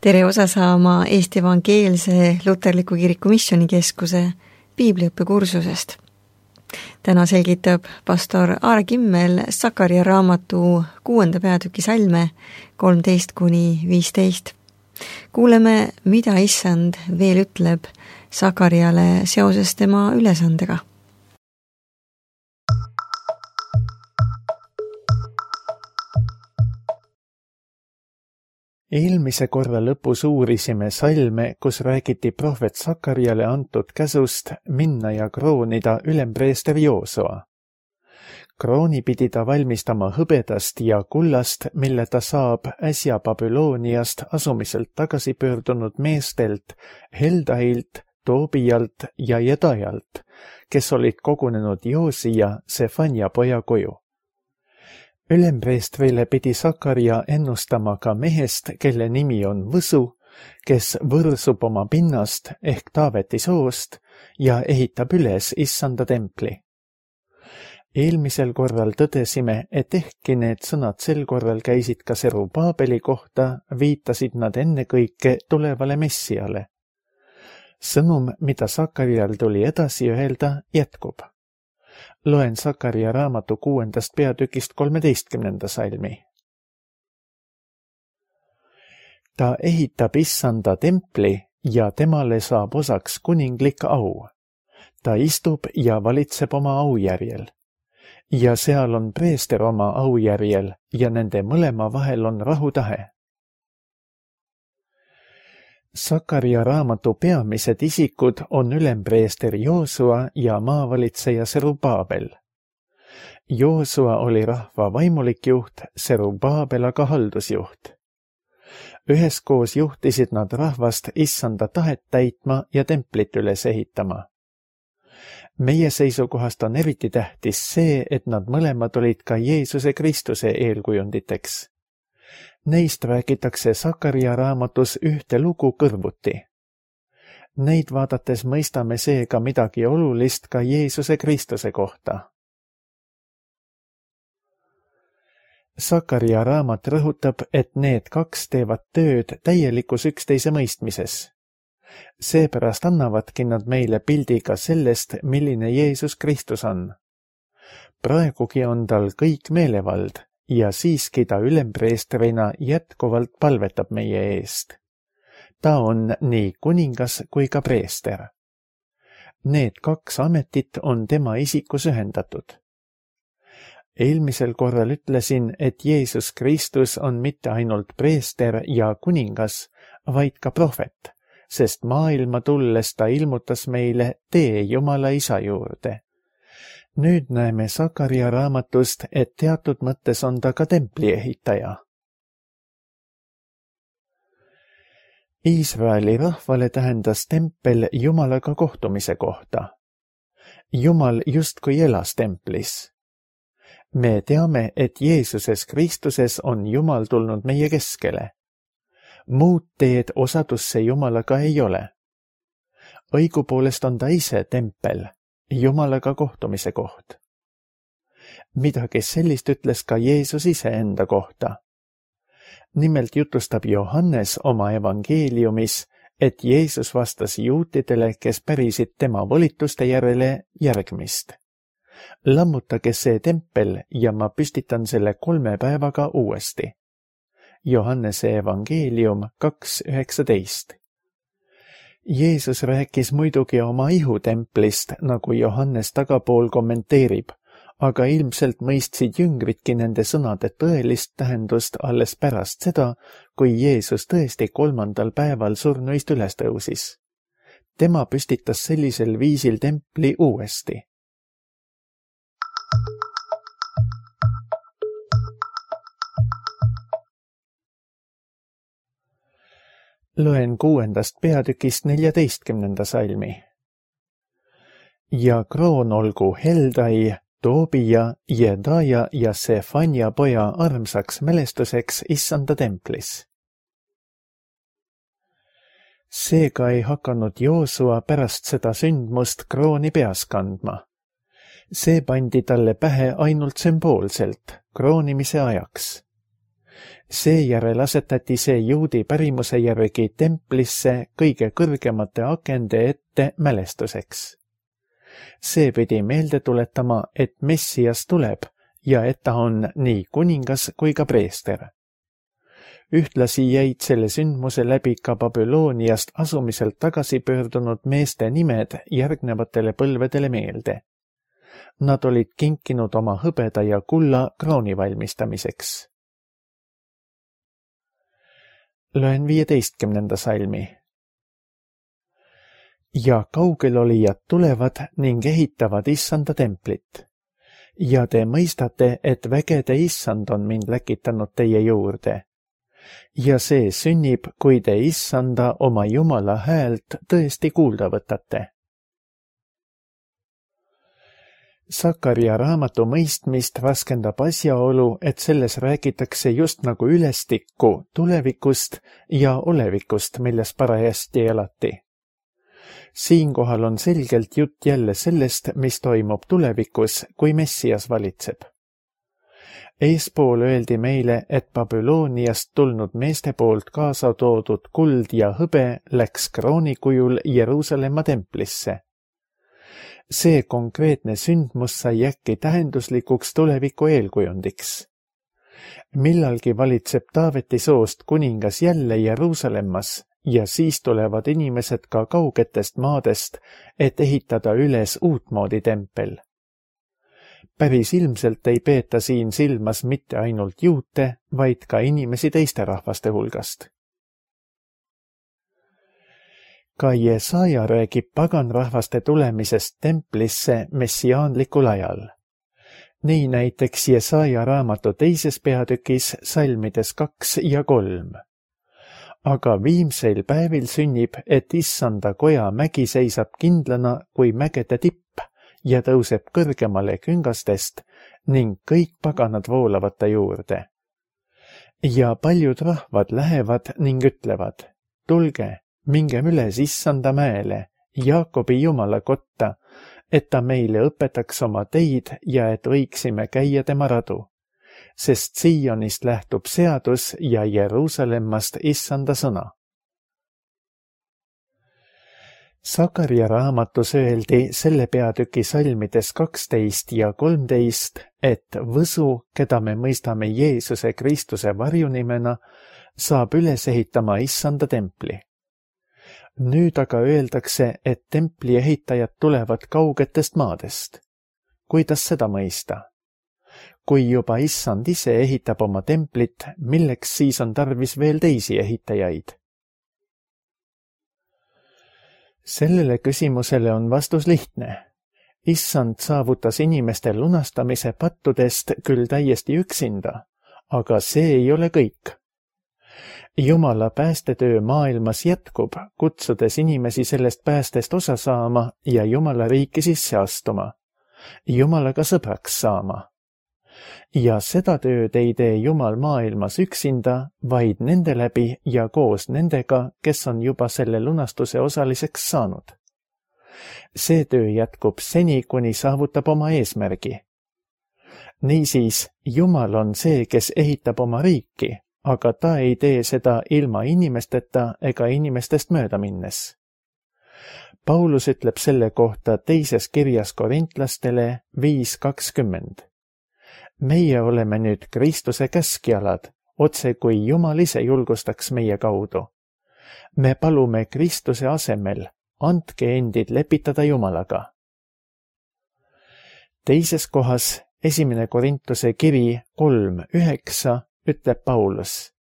Tere osa saama Eesti Evangeelse Luterliku Kiriku Missioonikeskuse piibliõppekursusest. Täna selgitab pastor Aare Kimmel Sakaria raamatu 6. peatüki salme 13-15. Kuuleme, mida Issand veel ütleb Sakariale seoses tema ülesandega. Eelmise korra lõpus uurisime salme, kus räägiti prohvet Sakariale antud käsust minna ja kroonida ülempreester Joosua. Krooni pidi ta valmistama hõbedast ja kullast, mille ta saab äsja Babyloniast asumiselt tagasi pöördunud meestelt Heldailt, Toobijalt ja Jedajalt, kes olid kogunenud Joosia, Sefania poja koju. Ülempreestrile pidi Sakaria ennustama ka mehest, kelle nimi on Võsu, kes võrsub oma pinnast ehk Taaveti soost ja ehitab üles Issanda templi. Eelmisel korral tõdesime, et ehkki need sõnad sel korral käisid ka Serubaabeli kohta, viitasid nad ennekõike tulevale Messiale. Sõnum, mida Sakarial tuli edasi öelda, jätkub. Loen Sakaria raamatu 6. peatükist 13. salmi. Ta ehitab Issanda templi ja temale saab osaks kuninglik au. Ta istub ja valitseb oma aujärjel. Ja seal on preester oma aujärjel ja nende mõlema vahel on rahutahe. Sakaria raamatu peamised isikud on ülempreester Joosua ja maavalitseja Serubaabel. Joosua oli rahva vaimulik juht, Serubaabel aga haldusjuht. Üheskoos juhtisid nad rahvast Issanda tahet täitma ja templit üles ehitama. Meie seisukohast on eriti tähtis see, et nad mõlemad olid ka Jeesuse Kristuse eelkujunditeks. Neist räägitakse Sakaria raamatus ühte lugu kõrvuti. Neid vaadates mõistame seega midagi olulist ka Jeesuse Kristuse kohta. Sakaria raamat rõhutab, et need kaks teevad tööd täielikus üksteise mõistmises. Seepärast annavadki nad meile pildi ka sellest, milline Jeesus Kristus on. Praegugi on tal kõik meelevald ja siiski ta ülempreestrina jätkuvalt palvetab meie eest. Ta on nii kuningas kui ka preester. Need kaks ametit on tema isikus ühendatud. Eelmisel korral ütlesin, et Jeesus Kristus on mitte ainult preester ja kuningas, vaid ka prohvet, sest maailma tulles ta ilmutas meile tee Jumala Isa juurde. Nüüd näeme Sakaria raamatust, et teatud mõttes on ta ka templi ehitaja. Iisraeli rahvale tähendas tempel Jumalaga kohtumise kohta. Jumal justkui elas templis. Me teame, et Jeesuses Kristuses on Jumal tulnud meie keskele. Muud teed osadusse Jumalaga ei ole. Õigupoolest on ta ise tempel, Jumalaga kohtumise koht. Midagi sellist ütles ka Jeesus ise enda kohta. Nimelt jutustab Johannes oma evangeeliumis, et Jeesus vastas juutidele, kes pärisid tema volituste järele järgmist. Lammutage see tempel ja ma püstitan selle 3 päevaga uuesti. Johannese evangeelium 2.19. Jeesus rääkis muidugi oma ihutemplist, nagu Johannes tagapool kommenteerib, aga ilmselt mõistsid jüngritki nende sõnade tõelist tähendust alles pärast seda, kui Jeesus tõesti 3. päeval surnuist üles tõusis. Tema püstitas sellisel viisil templi uuesti. Loen 6. peatükist 14. salmi. Ja kroon olgu Heldai, Toobija, Jedaja ja Sefania poja armsaks mälestuseks Issanda templis. Seega ei hakanud Joosua pärast seda sündmust krooni peas kandma. See pandi talle pähe ainult sümboolselt, kroonimise ajaks. Seejärel asetati see juudi pärimuse järgi templisse kõige kõrgemate akende ette mälestuseks. See pidi meelde tuletama, et Messias tuleb ja et ta on nii kuningas kui ka preester. Ühtlasi jäid selle sündmuse läbi ka Babyloniast asumiselt tagasi pöördunud meeste nimed järgnevatele põlvedele meelde. Nad olid kinkinud oma hõbeda ja kulla krooni valmistamiseks. Loen 15. salmi. Ja kaugelolijad tulevad ning ehitavad issanda templit. Ja te mõistate, et vägede issand on mind läkitanud teie juurde. Ja see sünnib, kui te issanda oma Jumala häält tõesti kuulda võtate. Sakaria raamatu mõistmist raskendab asjaolu, et selles räägitakse just nagu ülestikku tulevikust ja olevikust, milles parajasti elati. Siinkohal on selgelt jutt jälle sellest, mis toimub tulevikus, kui Messias valitseb. Eespool öeldi meile, et Babyloniast tulnud meeste poolt kaasa toodud kuld ja hõbe läks krooni kujul Jeruusalemma templisse. See konkreetne sündmus sai äkki tähenduslikuks tuleviku eelkujundiks. Millalgi valitseb Taaveti soost kuningas jälle Jeruusalemmas ja siis tulevad inimesed ka kaugetest maadest, et ehitada üles uutmoodi tempel. Päris ilmselt ei peeta siin silmas mitte ainult juute, vaid ka inimesi teiste rahvaste hulgast. Ka Jesaja räägib paganrahvaste tulemisest templisse messiaanlikul ajal. Nii näiteks Jesaja raamatu 2. peatükis salmides 2 ja 3. Aga viimseil päevil sünnib, et issanda koja mägi seisab kindlana kui mägede tipp ja tõuseb kõrgemale küngastest ning kõik paganad voolavad ta juurde. Ja paljud rahvad lähevad ning ütlevad, tulge, mingem üles issanda mäele, Jaakobi Jumala kotta, et ta meile õpetaks oma teid ja et võiksime käia tema radu, sest Siionist lähtub seadus ja Jeruusalemmast issanda sõna. Sakaria raamatus öeldi selle peatüki salmides 12 ja 13, et võsu, keda me mõistame Jeesuse Kristuse varjunimena, saab üles ehitama issanda templi. Nüüd aga öeldakse, et templi ehitajad tulevad kaugetest maadest. Kuidas seda mõista? Kui juba issand ise ehitab oma templit, milleks siis on tarvis veel teisi ehitajaid? Sellele küsimusele on vastus lihtne. Issand saavutas inimeste lunastamise pattudest küll täiesti üksinda, aga see ei ole kõik. Jumala päästetöö maailmas jätkub, kutsudes inimesi sellest päästest osa saama ja Jumala riiki sisse astuma, Jumalaga sõbraks saama. Ja seda tööd ei tee Jumal maailmas üksinda, vaid nende läbi ja koos nendega, kes on juba selle lunastuse osaliseks saanud. See töö jätkub seni, kuni saavutab oma eesmärgi. Niisiis, Jumal on see, kes ehitab oma riiki, aga ta ei tee seda ilma inimesteta ega inimestest mööda minnes. Paulus ütleb selle kohta 2. kirjas Korintlastele 5:20. Meie oleme nüüd Kristuse käskjalad, otse kui Jumal ise julgustaks meie kaudu. Me palume Kristuse asemel, andke endid lepitada Jumalaga. Teises kohas 1. Korintuse kiri 3:9 ütleb Paulus,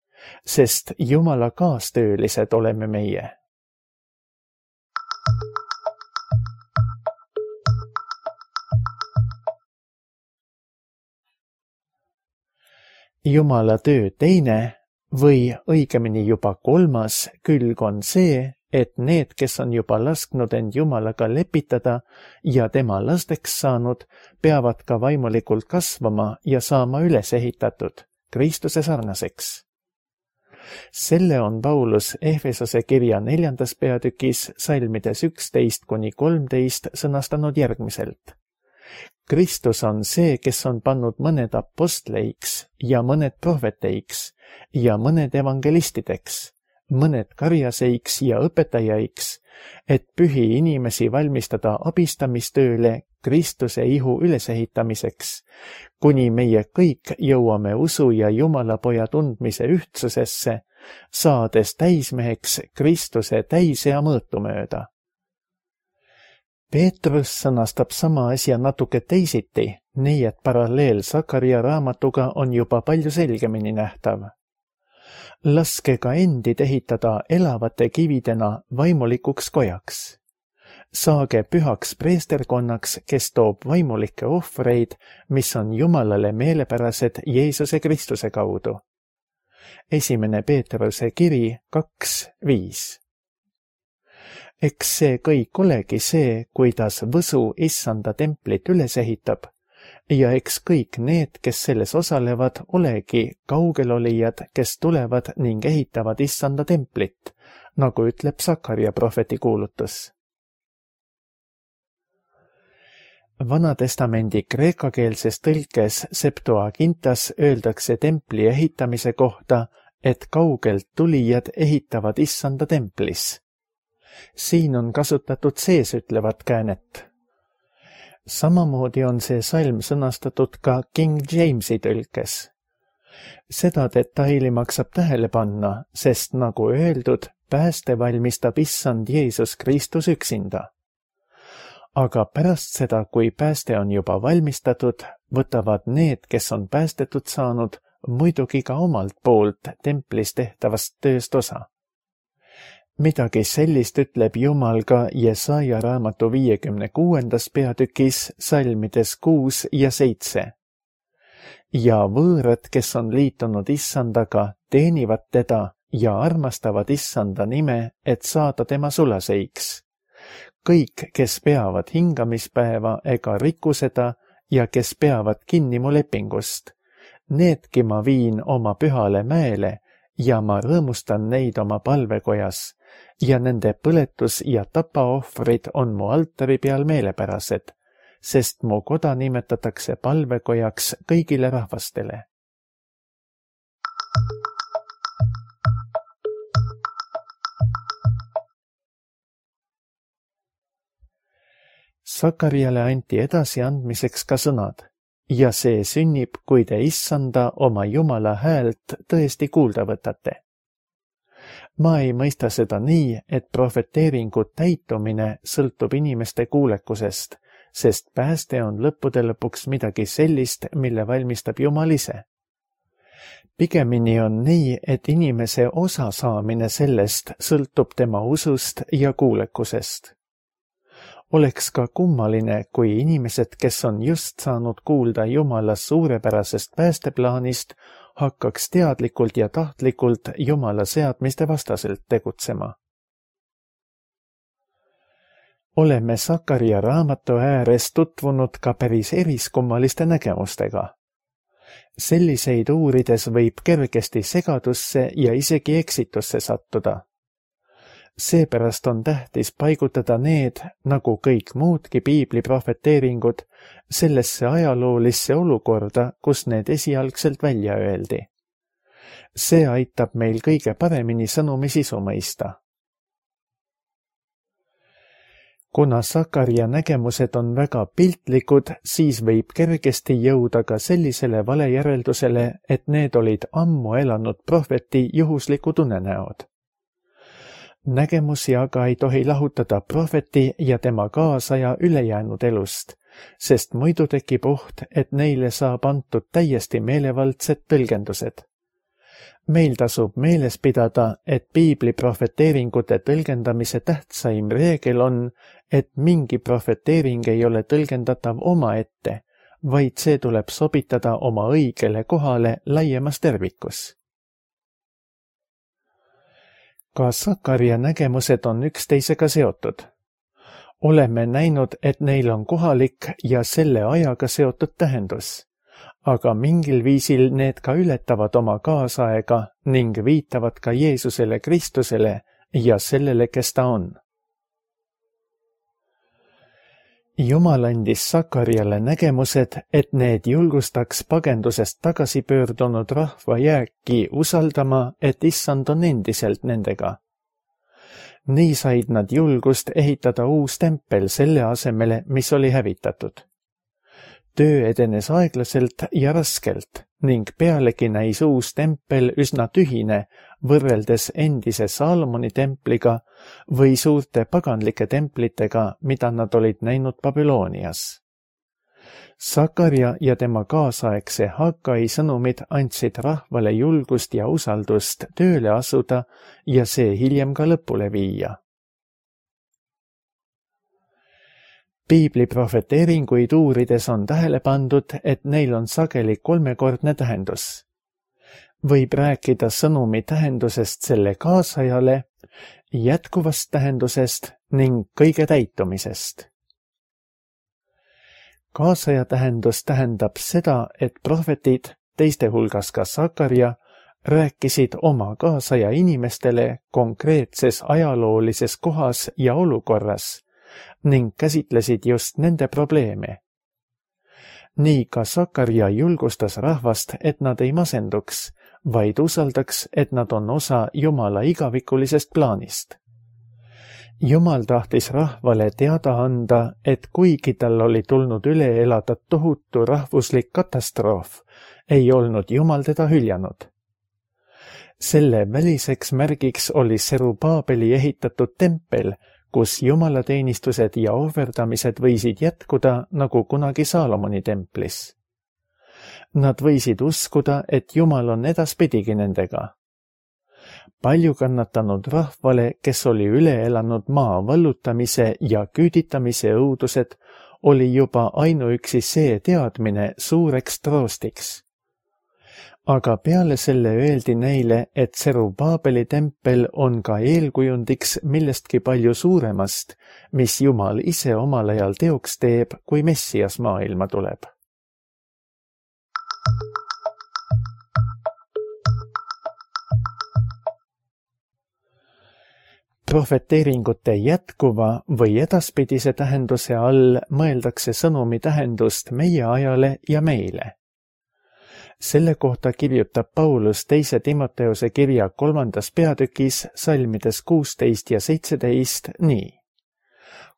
sest Jumala kaastöölised oleme meie. Jumala töö teine või õigemini juba 3. külg on see, et need, kes on juba lasknud end Jumalaga lepitada ja tema lasteks saanud, peavad ka vaimulikult kasvama ja saama üles ehitatud Kristuse sarnaseks. Selle on Paulus Efesose kirja 4. peatükis salmides 11-13 sõnastanud järgmiselt. Kristus on see, kes on pannud mõned apostleiks ja mõned prohveteiks ja mõned evangelistideks, mõned karjaseiks ja õpetajaiks, et pühi inimesi valmistada abistamistööle Kristuse ihu ülesehitamiseks, kuni meie kõik jõuame usu ja Jumala poja tundmise ühtsusesse, saades täismeheks Kristuse täisea mõõtu mööda. Peetrus sõnastab sama asja natuke teisiti, nii et paralleel Sakaria raamatuga on juba palju selgemini nähtav. Laske ka endid ehitada elavate kividena vaimulikuks kojaks. Saage pühaks preesterkonnaks, kes toob vaimulikke ohvreid, mis on Jumalale meelepärased Jeesuse Kristuse kaudu. 1. Peetruse kiri 2:5. Eks see kõik olegi see, kuidas Võsu Issanda templit üles ehitab, ja eks kõik need, kes selles osalevad, olegi kaugelolijad, kes tulevad ning ehitavad Issanda templit, nagu ütleb Sakaria prohveti kuulutus. Vanatestamendi kreekakeelses tõlkes Septuagintas öeldakse templi ehitamise kohta, et kaugelt tulijad ehitavad Issanda templis. Siin on kasutatud seesütlevat käänet. Samamoodi on see salm sõnastatud ka King Jamesi tõlkes. Seda detaili maksab tähele panna, sest nagu öeldud, pääste valmistab Issand Jeesus Kristus üksinda. Aga pärast seda, kui pääste on juba valmistatud, võtavad need, kes on päästetud saanud, muidugi ka omalt poolt templis tehtavast tööst osa. Midagi sellist ütleb Jumal ka Jesaja raamatu 56. peatükis salmides 6 ja 7. Ja võõrad, kes on liitunud Issandaga, teenivad teda ja armastavad Issanda nime, et saada tema sulaseiks. Kõik, kes peavad hingamispäeva ega riku seda ja kes peavad kinni mu lepingust, needki ma viin oma pühale mäele ja ma rõõmustan neid oma palvekojas ja nende põletus- ja tapaohvrid on mu altari peal meelepärased, sest mu koda nimetatakse palvekojaks kõigile rahvastele. Sakariale anti edasiandmiseks ka sõnad, ja see sünnib, kui te Issanda oma Jumala häält tõesti kuulda võtate. Ma ei mõista seda nii, et prohveteeringu täitumine sõltub inimeste kuulekusest, sest pääste on lõppude lõpuks midagi sellist, mille valmistab Jumal ise. Pigemini on nii, et inimese osa saamine sellest sõltub tema usust ja kuulekusest. Oleks ka kummaline, kui inimesed, kes on just saanud kuulda Jumala suurepärasest päästeplaanist, hakkaks teadlikult ja tahtlikult Jumala seadmiste vastaselt tegutsema. Oleme Sakaria raamatu ääres tutvunud ka päris eriskummaliste nägemustega. Selliseid uurides võib kergesti segadusse ja isegi eksitusse sattuda. Seepärast on tähtis paigutada need, nagu kõik muudki piibli prohveteeringud, sellesse ajaloolisse olukorda, kus need esialgselt välja öeldi. See aitab meil kõige paremini sõnumi sisu mõista. Kuna Sakaria nägemused on väga piltlikud, siis võib kergesti jõuda ka sellisele valejäreldusele, et need olid ammu elanud prohveti juhuslikud unenäod. Nägemusi aga ei tohi lahutada prohveti ja tema kaasaja ülejäänud elust, sest muidu tekib oht, et neile saab antud täiesti meelevaldsed tõlgendused. Meil tasub meeles pidada, et piibli prohveteeringute tõlgendamise tähtsaim reegel on, et mingi prohveteering ei ole tõlgendatav omaette, vaid see tuleb sobitada oma õigele kohale laiemas tervikus. Ka Sakaria nägemused on üksteisega seotud. Oleme näinud, et neil on kohalik ja selle ajaga seotud tähendus, aga mingil viisil need ka ületavad oma kaasaega ning viitavad ka Jeesusele Kristusele ja sellele, kes ta on. Jumal andis Sakariale nägemused, et need julgustaks pagendusest tagasi pöördunud rahva jääki usaldama, et issand on endiselt nendega. Nii said nad julgust ehitada uus tempel selle asemele, mis oli hävitatud. Töö edenes aeglaselt ja raskelt ning pealegi näis uus tempel üsna tühine võrreldes endise Saalomoni templiga või suurte paganlike templitega, mida nad olid näinud Babylonias. Sakarja ja tema kaasaegse Hagai sõnumid andsid rahvale julgust ja usaldust tööle asuda ja see hiljem ka lõpule viia. Piibli profeteeringuid uurides on tähele pandud, et neil on sageli kolmekordne tähendus. Võib rääkida sõnumi tähendusest selle kaasajale, jätkuvast tähendusest ning kõige täitumisest. Kaasaja tähendus tähendab seda, et prohvetid, teiste hulgas ka Sakarja, rääkisid oma kaasaja inimestele konkreetses ajaloolises kohas ja olukorras ning käsitlesid just nende probleeme. Nii ka Sakarja julgustas rahvast, et nad ei masenduks, vaid usaldaks, et nad on osa Jumala igavikulisest plaanist. Jumal tahtis rahvale teada anda, et kuigi tal oli tulnud üle elada tohutu rahvuslik katastroof, ei olnud Jumal teda hüljanud. Selle väliseks märgiks oli Serubaabeli ehitatud tempel, kus jumalateenistused ja ohverdamised võisid jätkuda nagu kunagi Saalomoni templis. Nad võisid uskuda, et Jumal on edaspidigi nendega. Palju kannatanud rahvale, kes oli üle elanud maa vallutamise ja küüditamise õudused, oli juba ainuüksi see teadmine suureks troostiks. Aga peale selle öeldi neile, et Serubaabeli tempel on ka eelkujundiks millestki palju suuremast, mis Jumal ise omal ajal teoks teeb, kui Messias maailma tuleb. Profeteeringute jätkuva või edaspidise tähenduse all mõeldakse sõnumi tähendust meie ajale ja meile. Selle kohta kirjutab Paulus 2. Timoteuse kirja 3. peatükis salmides 16 ja 17 nii.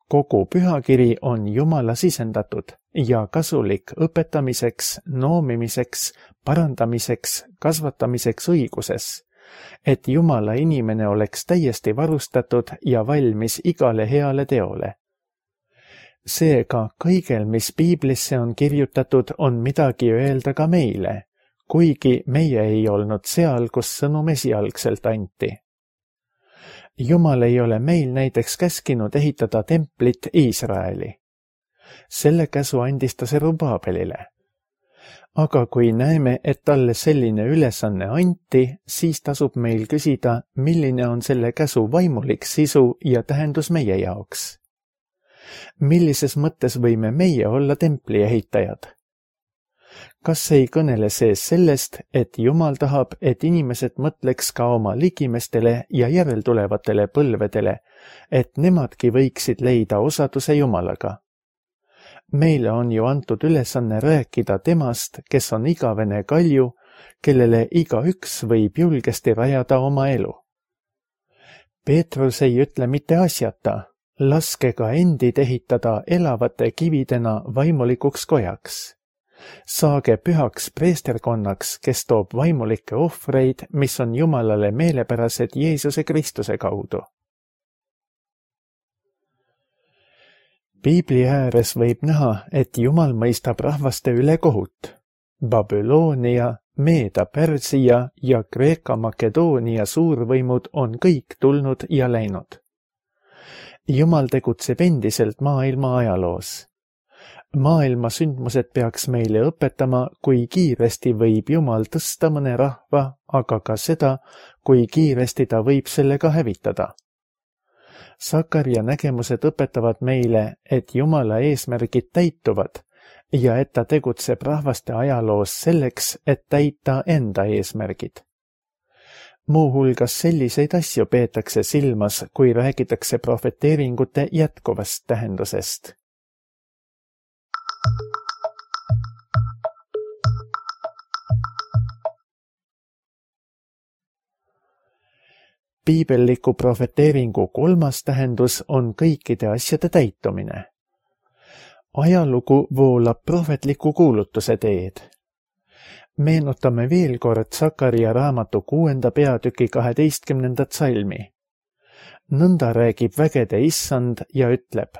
Kogu pühakiri on Jumala sisendatud ja kasulik õpetamiseks, noomimiseks, parandamiseks, kasvatamiseks õiguses, et Jumala inimene oleks täiesti varustatud ja valmis igale heale teole. Seega kõigel, mis piiblisse on kirjutatud, on midagi öelda ka meile, kuigi meie ei olnud seal, kus sõnum esialgselt anti. Jumal ei ole meil näiteks käskinud ehitada templit Iisraeli. Selle käsu andis ta Serubaabelile. Aga kui näeme, et talle selline ülesanne anti, siis tasub meil küsida, milline on selle käsu vaimulik sisu ja tähendus meie jaoks. Millises mõttes võime meie olla templi ehitajad? Kas ei kõnele see sellest, et Jumal tahab, et inimesed mõtleks ka oma ligimestele ja järeltulevatele põlvedele, et nemadki võiksid leida osaduse Jumalaga? Meile on ju antud ülesanne rääkida temast, kes on igavene kalju, kellele igaüks võib julgesti rajada oma elu. Peetrus ei ütle mitte asjata, laske ka endid ehitada elavate kividena vaimulikuks kojaks. Saage pühaks preesterkonnaks, kes toob vaimulikke ohvreid, mis on Jumalale meelepärased Jeesuse Kristuse kaudu. Piibli ääres võib näha, et Jumal mõistab rahvaste üle kohut. Babyloonia, Meeda-Pärsia ja Kreeka-Makedoonia suurvõimud on kõik tulnud ja läinud. Jumal tegutseb endiselt maailma ajaloos. Maailma sündmused peaks meile õpetama, kui kiiresti võib Jumal tõsta mõne rahva, aga ka seda, kui kiiresti ta võib sellega hävitada. Sakarja nägemused õpetavad meile, et Jumala eesmärgid täituvad ja et ta tegutseb rahvaste ajaloos selleks, et täita enda eesmärgid. Muuhulgas selliseid asju peetakse silmas, kui räägitakse profeteeringute jätkuvast tähendusest. Piibelliku profeteeringu 3. tähendus on kõikide asjade täitumine. Ajalugu voolab prohvetliku kuulutuse teed. Meenutame veel kord Sakaria raamatu 6. peatüki 12. salmi. Nõnda räägib vägede issand ja ütleb: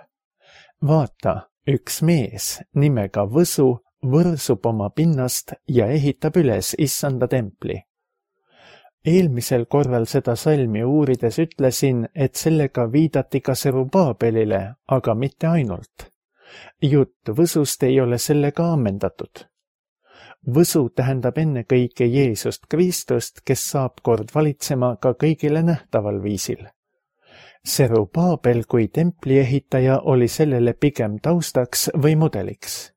vaata, üks mees nimega Võsu võrsub oma pinnast ja ehitab üles issanda templi. Eelmisel korral seda salmi uurides ütlesin, et sellega viidati ka Serubaabelile, aga mitte ainult. Jutt Võsust ei ole sellega ammendatud. Võsu tähendab ennekõike Jeesust Kristust, kes saab kord valitsema ka kõigile nähtaval viisil. Serubaabel kui templi ehitaja oli sellele pigem taustaks või mudeliks.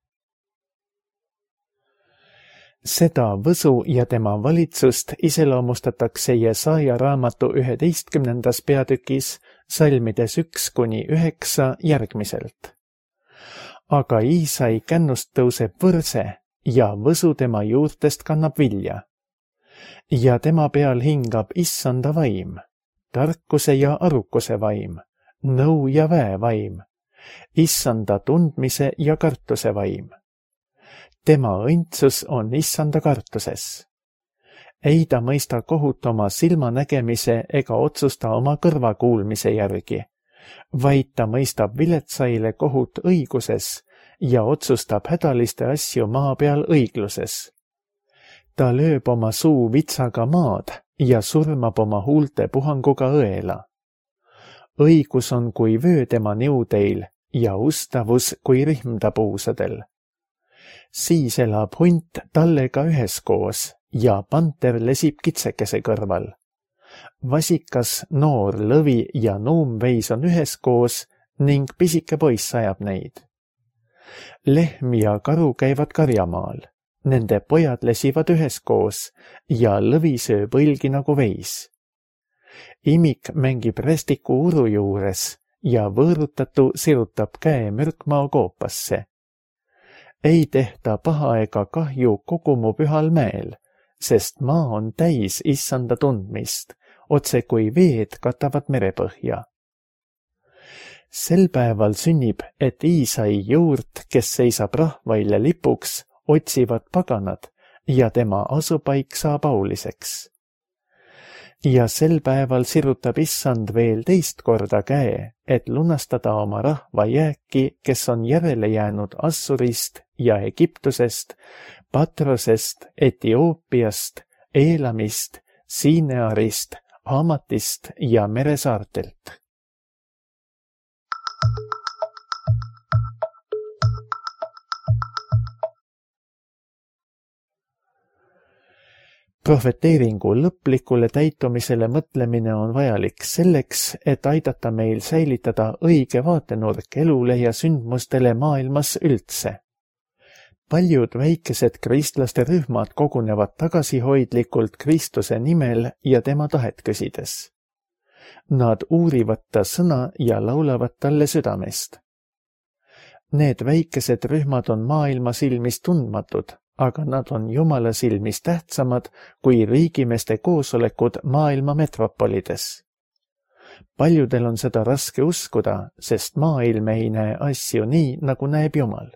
Seda Võsu ja tema valitsust iseloomustatakse Jesaja raamatu 11. peatükis salmides 1-9 järgmiselt. Aga Iisai kännust tõuseb võrse ja Võsu tema juurtest kannab vilja. Ja tema peal hingab issanda vaim, tarkuse ja arukuse vaim, nõu ja väe vaim, issanda tundmise ja kartuse vaim. Tema õndsus on issanda kartuses. Ei ta mõista kohut oma silmanägemise ega otsusta oma kõrva kuulmise järgi, vaid ta mõistab viletsaile kohut õiguses ja otsustab hädaliste asju maa peal õigluses. Ta lööb oma suu vitsaga maad ja surmab oma huulte puhanguga õela. Õigus on kui vöö tema niudeil ja ustavus kui rihm ta puusadel. Siis elab hunt tallega üheskoos ja panter lesib kitsekese kõrval. Vasikas, noor lõvi ja nuumveis on üheskoos ning pisike poiss ajab neid. Lehm ja karu käivad karjamaal, nende pojad lesivad üheskoos ja lõvi sööb õlgi nagu veis. Imik mängib rästiku uru juures ja võõrutatu sirutab käe mürkmao koopasse. Ei tehta paha ega kahju kogu mu pühal mäel, sest maa on täis issanda tundmist, otse kui veed katavad merepõhja. Sel päeval sünnib, et Iisai juurt, kes seisab rahvaile lipuks, otsivad paganad ja tema asupaik saab auliseks. Ja sel päeval sirutab issand veel teist korda käe, et lunastada oma rahva jääki, kes on järele jäänud Assurist ja Egiptusest, Patrosest, Etioopiast, Eelamist, Siinearist, Hamatist ja meresaartelt. Profeteeringu lõplikule täitumisele mõtlemine on vajalik selleks, et aidata meil säilitada õige vaatenurk elule ja sündmustele maailmas üldse. Paljud väikesed kristlaste rühmad kogunevad tagasihoidlikult Kristuse nimel ja tema tahet küsides. Nad uurivad ta sõna ja laulavad talle südamest. Need väikesed rühmad on maailma silmis tundmatud, aga nad on Jumala silmis tähtsamad kui riigimeeste koosolekud maailma metropolides. Paljudel on seda raske uskuda, sest maailm ei näe asju nii, nagu näeb Jumal.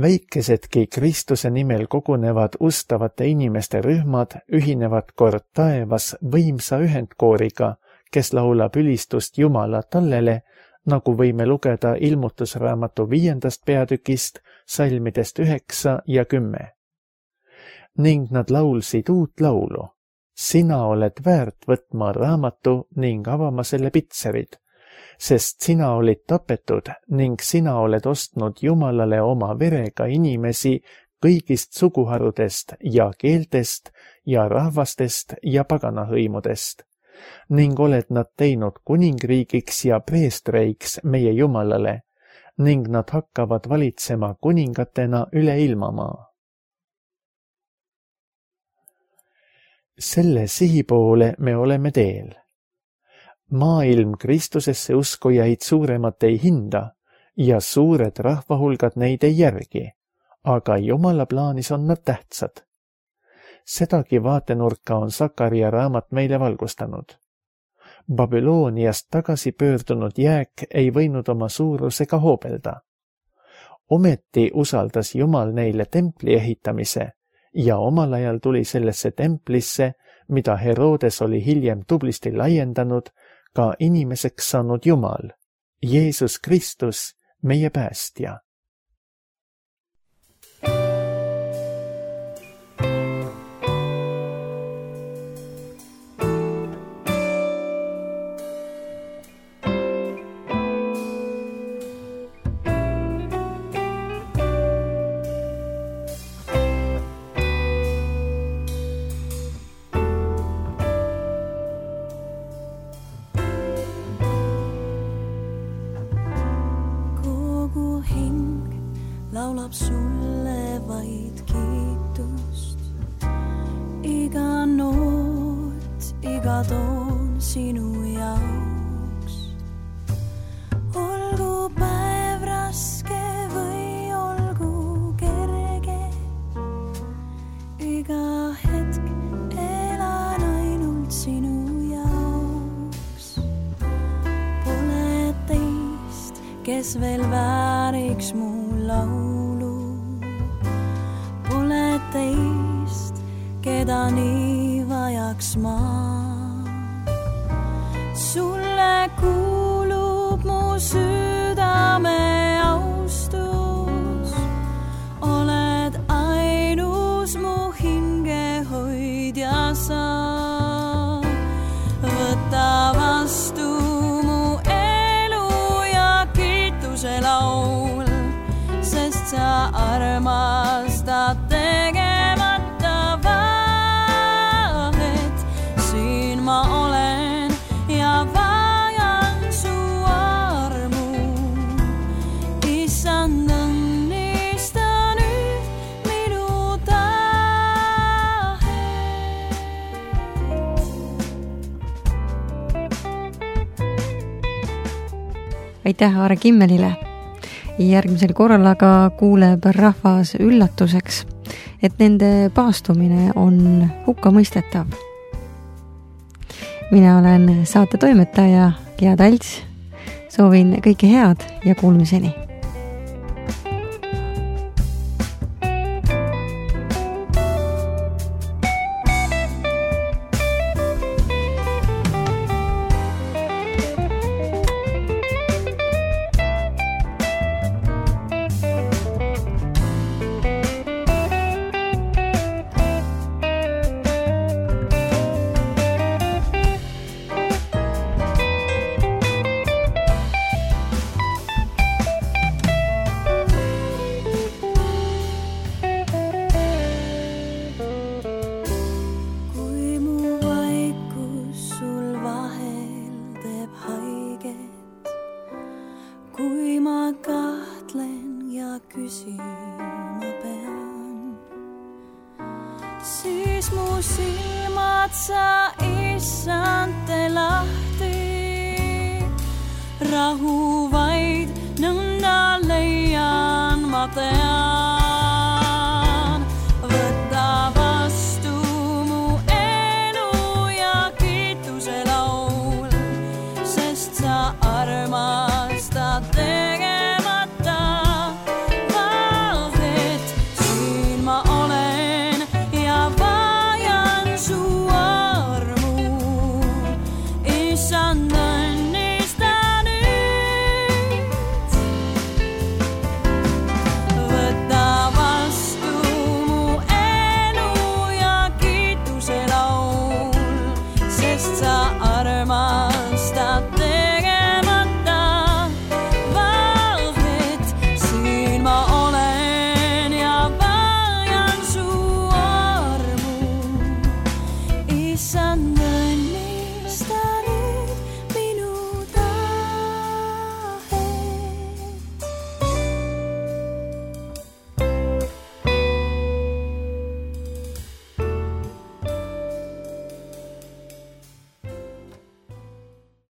Väikesedki Kristuse nimel kogunevad ustavate inimeste rühmad ühinevad kord taevas võimsa ühendkooriga, kes laulab ülistust Jumala tallele, nagu võime lugeda Ilmutusraamatu 5. peatükist, salmidest 9 ja 10. Ning nad laulsid uut laulu. Sina oled väärt võtma raamatu ning avama selle pitserid, sest sina olid tapetud ning sina oled ostnud Jumalale oma verega inimesi kõigist suguharudest ja keeltest ja rahvastest ja paganahõimudest. Ning oled nad teinud kuningriigiks ja preestreiks meie Jumalale, ning nad hakkavad valitsema kuningatena üle ilmamaa. Selle sihi poole me oleme teel. Maailm Kristusesse uskujaid suuremat ei hinda ja suured rahvahulgad neid ei järgi, aga Jumala plaanis on nad tähtsad. Sedagi vaatenurka on Sakaria raamat meile valgustanud. Babyloniast tagasi pöördunud jääk ei võinud oma suurusega hoobelda. Ometi usaldas Jumal neile templi ehitamise ja omal ajal tuli sellesse templisse, mida Herodes oli hiljem tublisti laiendanud, ka inimeseks saanud Jumal, Jeesus Kristus, meie päästja. Laulab sulle vaid kiitust, iga noot, iga toon sinu jaoks. Olgu päev raske või olgu kerge, iga hetk elan ainult sinu jaoks. Pole teist, kes veel vääriks mu laulu, pole teist, keda nii vajaks ma. Sulle kuulub mu südame austus, oled ainus mu hingehoidja sa. Võta vastu mu elu ja kiituse laul, sest sa armastad tegemata vahet. Siin ma olen ja vajan su armu. Issand, õnnista nüüd minu tahet. Aitäh Aare Kimmelile! Järgmisel korral aga kuuleb rahvas üllatuseks, et nende paastumine on hukkamõistetav. Mina olen saate toimetaja Gea Talts. Soovin kõike head ja kuulmiseni. Siis mu silmad sa, Issand, tee lahti. Rahu vaid nõnda leian ma tean. Võta vastu mu elu ja kiituse laul, sest sa armastad